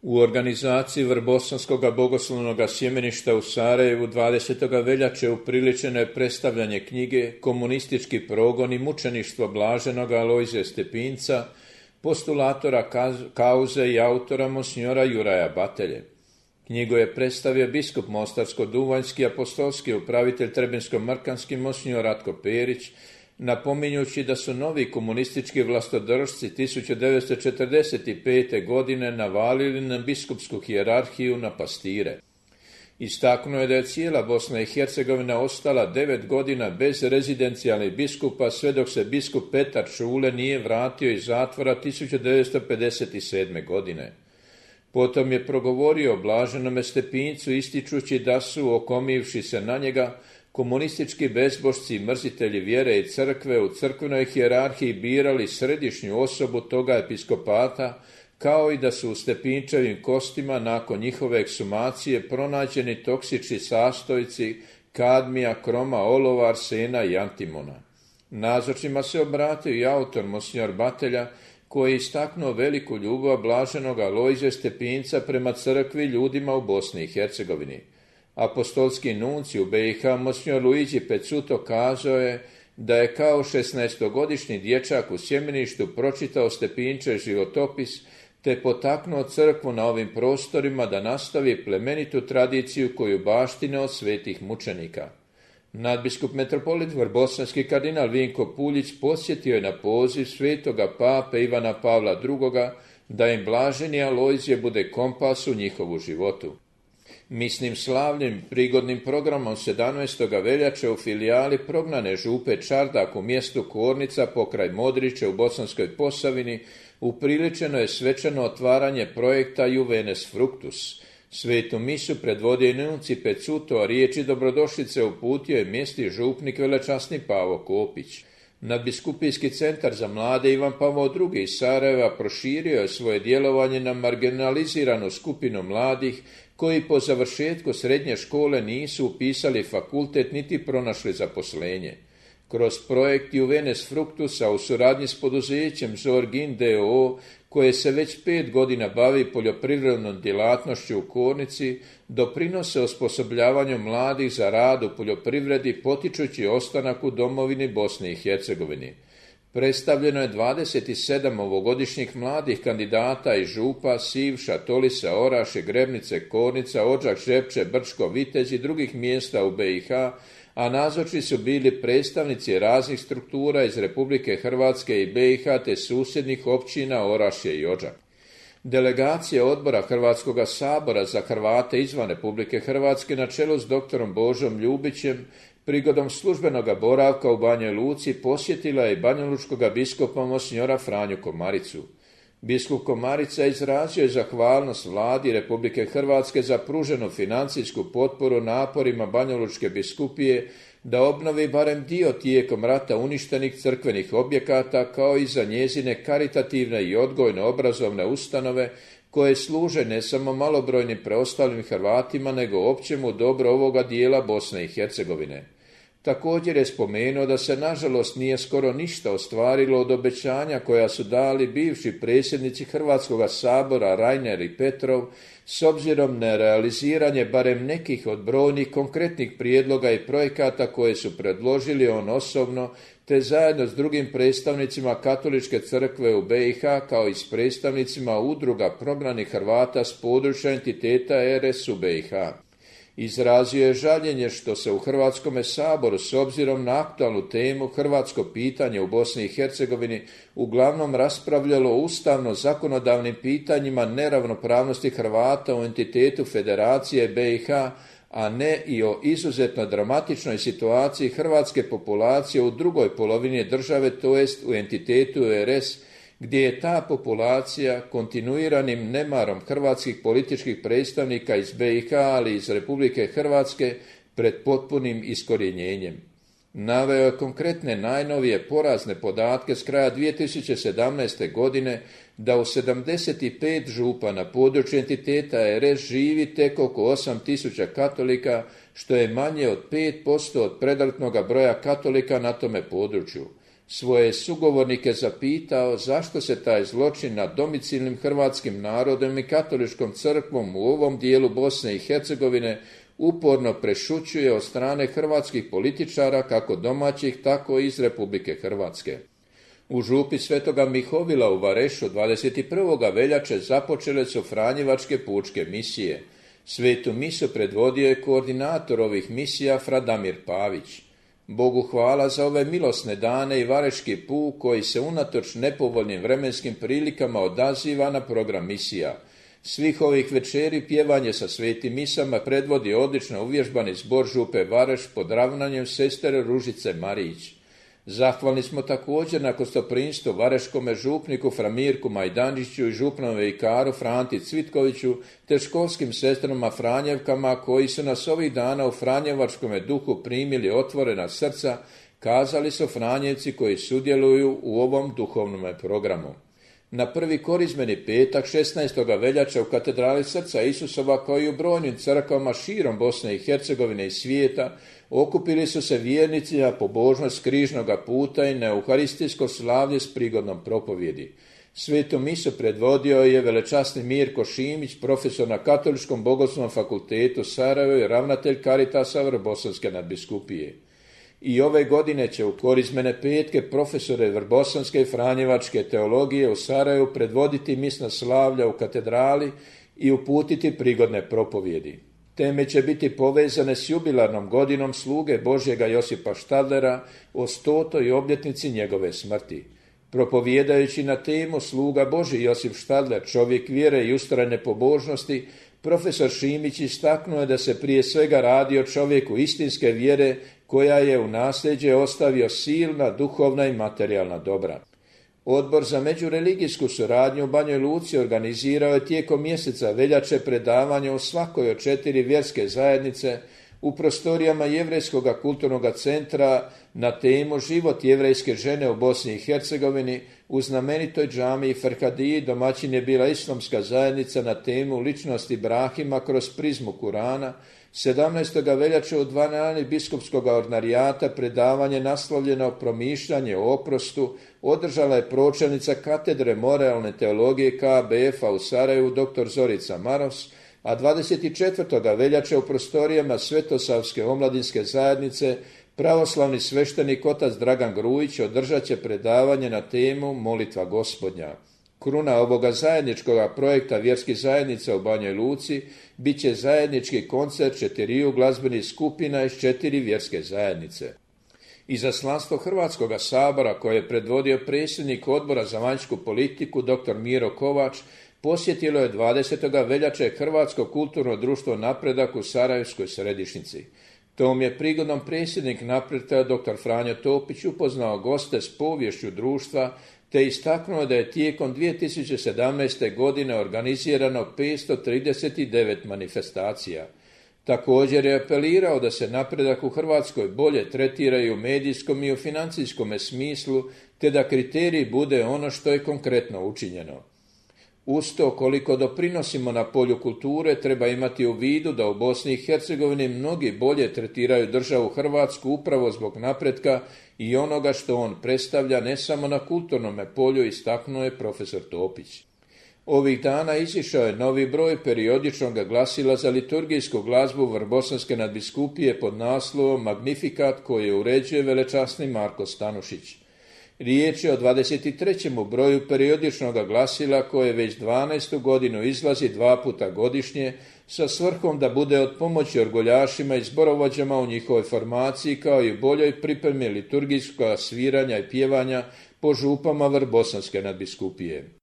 U organizaciji Vrbosanskog bogoslovnog sjemeništa u Sarajevu 20. veljače upriličeno je predstavljanje knjige Komunistički progon i mučeništvo blaženog Alojzija Stepinca, postulatora kauze i autora monsignora Juraja Batelje. Knjigu je predstavio biskup Mostarsko-Duvanjski apostolski upravitelj Trebinsko-Mrkanski monsignor Ratko Perić, napominjući da su novi komunistički vlastodržci 1945. godine navalili na biskupsku hijerarhiju na pastire. Istaknuo je da je cijela Bosna i Hercegovina ostala 9 godina bez rezidencijalnih biskupa sve dok se biskup Petar Čule nije vratio iz zatvora 1957. godine. Potom je progovorio o blaženome Stepincu ističući da su, okomivši se na njega, komunistički bezbožci i mrzitelji vjere i crkve u crkvenoj hijerarhiji birali središnju osobu toga episkopata, kao i da su u Stepinčevim kostima nakon njihove ekshumacije pronađeni toksični sastojci kadmija, kroma, olova, arsena i antimona. Nazočnima se obratio i autor monsignor Batelja, koji je istaknuo veliku ljubav blaženog Alojzija Stepinca prema crkvi i ljudima u Bosni i Hercegovini. Apostolski nunci u BiH monsignor Luigi Pezzuto kazao je da je kao 16-godišnji dječak u sjemeništu pročitao Stepinčev životopis te potaknuo crkvu na ovim prostorima da nastavi plemenitu tradiciju koju baštine od svetih mučenika. Nadbiskup metropolit vrbosanski kardinal Vinko Puljić posjetio je na poziv svetoga pape Ivana Pavla II. Da im blaženi Alojzije bude kompas u njihovu životu. Misnim slavnim prigodnim programom 17. veljače u filijali prognane župe Čardak u mjestu Kornica pokraj Modrića u Bosanskoj Posavini upriličeno je svečano otvaranje projekta Juvenes Fructus. Svetu misu predvodio nunci Pezzuto, a riječi dobrodošlice uputio je mjesni župnik velečasni Pavo Kopić. Nadbiskupijski centar za mlade Ivan Pavao II. Iz Sarajeva proširio je svoje djelovanje na marginaliziranu skupinu mladih koji po završetku srednje škole nisu upisali fakultet niti pronašli zaposlenje. Kroz projekt Juvenes Fructusa u suradnji s poduzećem Zorgin d.o.o. koje se već 5 godina bavi poljoprivrednom djelatnošću u Kornici, doprinose osposobljavanju mladih za rad u poljoprivredi potičući ostanak u domovini Bosni i Hercegovini. Predstavljeno je 27 ovogodišnjih mladih kandidata iz Župa, Sivša, Tolisa, Oraše, Grebnice, Kornica, Odžak, Žepče, Brčko, Vitez i drugih mjesta u BiH, a nazočni su bili predstavnici raznih struktura iz Republike Hrvatske i BiH te susjednih općina Orašje i Odžak. Delegacija odbora Hrvatskog sabora za Hrvate izvan Republike Hrvatske na čelu s doktorom Božom Ljubićem prigodom službenog boravka u Banjoj Luci posjetila je banjalučkog biskupa monsignora Franju Komaricu. Biskup Komarica izrazio je zahvalnost vladi Republike Hrvatske za pruženu financijsku potporu naporima Banjalučke biskupije da obnovi barem dio tijekom rata uništenih crkvenih objekata, kao i za njezine karitativne i odgojno-obrazovne ustanove koje služe ne samo malobrojnim preostalim Hrvatima, nego općemu dobro ovoga dijela Bosne i Hercegovine. Također je spomenuo da se nažalost nije skoro ništa ostvarilo od obećanja koja su dali bivši predsjednici Hrvatskog sabora Reiner i Petrov s obzirom na realiziranje barem nekih od brojnih konkretnih prijedloga i projekata koje su predložili on osobno te zajedno s drugim predstavnicima Katoličke crkve u BiH kao i s predstavnicima udruga prognanih Hrvata s područja entiteta RS u BiH. Izrazio je žaljenje što se u Hrvatskome saboru s obzirom na aktualnu temu hrvatsko pitanje u Bosni i Hercegovini uglavnom raspravljalo o ustavno-zakonodavnim pitanjima neravnopravnosti Hrvata u entitetu Federacije BiH, a ne i o izuzetno dramatičnoj situaciji hrvatske populacije u drugoj polovini države, to jest u entitetu RS, gdje je ta populacija kontinuiranim nemarom hrvatskih političkih predstavnika iz BiH, ali iz Republike Hrvatske, pred potpunim iskorjenjenjem. Naveo je konkretne najnovije porazne podatke s kraja 2017. godine da u 75 župa na području entiteta RS živi tek oko 8.000 katolika, što je manje od 5% od predratnog broja katolika na tome području. Svoje sugovornike zapitao zašto se taj zločin nad domicilnim hrvatskim narodom i katoličkom crkvom u ovom dijelu Bosne i Hercegovine uporno prešućuje od strane hrvatskih političara, kako domaćih, tako i iz Republike Hrvatske. U župi Svetoga Mihovila u Varešu 21. veljače započele su franjevačke pučke misije. Svetu misu predvodio je koordinator ovih misija fra Damir Pavić. Bogu hvala za ove milosne dane i vareški puk koji se unatoč nepovoljnim vremenskim prilikama odaziva na program misija. Svih ovih večeri pjevanje sa svetim misama predvodi odlično uvježbani zbor župe Vareš pod ravnanjem sestre Ružice Marić. Zahvalni smo također na gostoprimstvu vareškome župniku Framirku Majdančiću i župnom vikaru Franti Cvitkoviću te školskim sestrama Franjevkama koji su nas ovih dana u franjevačkome duhu primili otvorena srca, kazali su Franjevci koji sudjeluju u ovom duhovnom programu. Na prvi korizmeni petak 16. veljače u katedrali Srca Isusova kao i u brojnim crkvama širom Bosne i Hercegovine i svijeta okupili su se vjernici na pobožnost križnoga puta i na euharistijsko slavlje s prigodnom propovjedi. Svetu misu predvodio je velečasni Mirko Šimić, profesor na Katoličkom bogoslovnom fakultetu Sarajevo i ravnatelj Caritasa Vrbosanske nadbiskupije. I ove godine će u korizmene petke profesore Vrbosanske i Franjevačke teologije u Sarajevu predvoditi misna slavlja u katedrali i uputiti prigodne propovjedi. Teme će biti povezane s jubilarnom godinom sluge Božjega Josipa Štadlera o 100. obljetnici njegove smrti. Propovijedajući na temu sluga Božji Josip Štadler, čovjek vjere i ustrajne pobožnosti, profesor Šimić istaknuo je da se prije svega radi o čovjeku istinske vjere koja je u nasljeđe ostavio silna duhovna i materijalna dobra. Odbor za međureligijsku suradnju u Banjoj Luci organizirao je tijekom mjeseca veljače predavanje u svakoj od 4 vjerske zajednice u prostorijama Jevrejskog kulturnog centra na temu Život jevrejske žene u Bosni i Hercegovini. U znamenitoj džamiji Ferhadiji domaćin je bila islamska zajednica na temu Ličnost Ibrahima kroz prizmu Kurana. 17. veljače u dvorani biskupskog ordinarijata predavanje naslovljeno Promišljanje o oprostu održala je pročelnica katedre moralne teologije KBF-a u Sarajevu dr. Zorica Maros, a 24. veljače u prostorijama Svetosavske omladinske zajednice pravoslavni sveštenik otac Dragan Grujić održat će predavanje na temu Molitva Gospodnja. Kruna ovoga zajedničkog projekta vjerskih zajednica u Banjoj Luci bit će zajednički koncert 4 glazbenih skupina iz 4 vjerske zajednice. Izaslanstvo Hrvatskog sabora koje je predvodio predsjednik Odbora za vanjsku politiku dr. Miro Kovač posjetilo je 20. veljače Hrvatsko kulturno društvo Napredak u Sarajevskoj središnjici. Tom je prigodom predsjednik Napredka dr. Franjo Topić upoznao goste s poviješću društva te istaknuo da je tijekom 2017. godine organizirano 539 manifestacija. Također je apelirao da se napredak u Hrvatskoj bolje tretira i u medijskom i u financijskom smislu, te da kriterij bude ono što je konkretno učinjeno. Uz to, koliko doprinosimo na polju kulture, treba imati u vidu da u Bosni i Hercegovini mnogi bolje tretiraju državu Hrvatsku upravo zbog napretka i onoga što on predstavlja ne samo na kulturnom polju, istaknuo je profesor Topić. Ovih dana izišao je novi broj periodičnog glasila za liturgijsku glazbu Vrbosanske nadbiskupije pod naslovom Magnifikat koji uređuje velečasni Marko Stanušić. Riječ je o 23. broju periodičnog glasila koje već 12. godinu izlazi 2 puta godišnje sa svrhom da bude od pomoći orguljašima i zborovođama u njihovoj formaciji kao i boljoj pripremi liturgijskog sviranja i pjevanja po župama Vrbosanske nadbiskupije.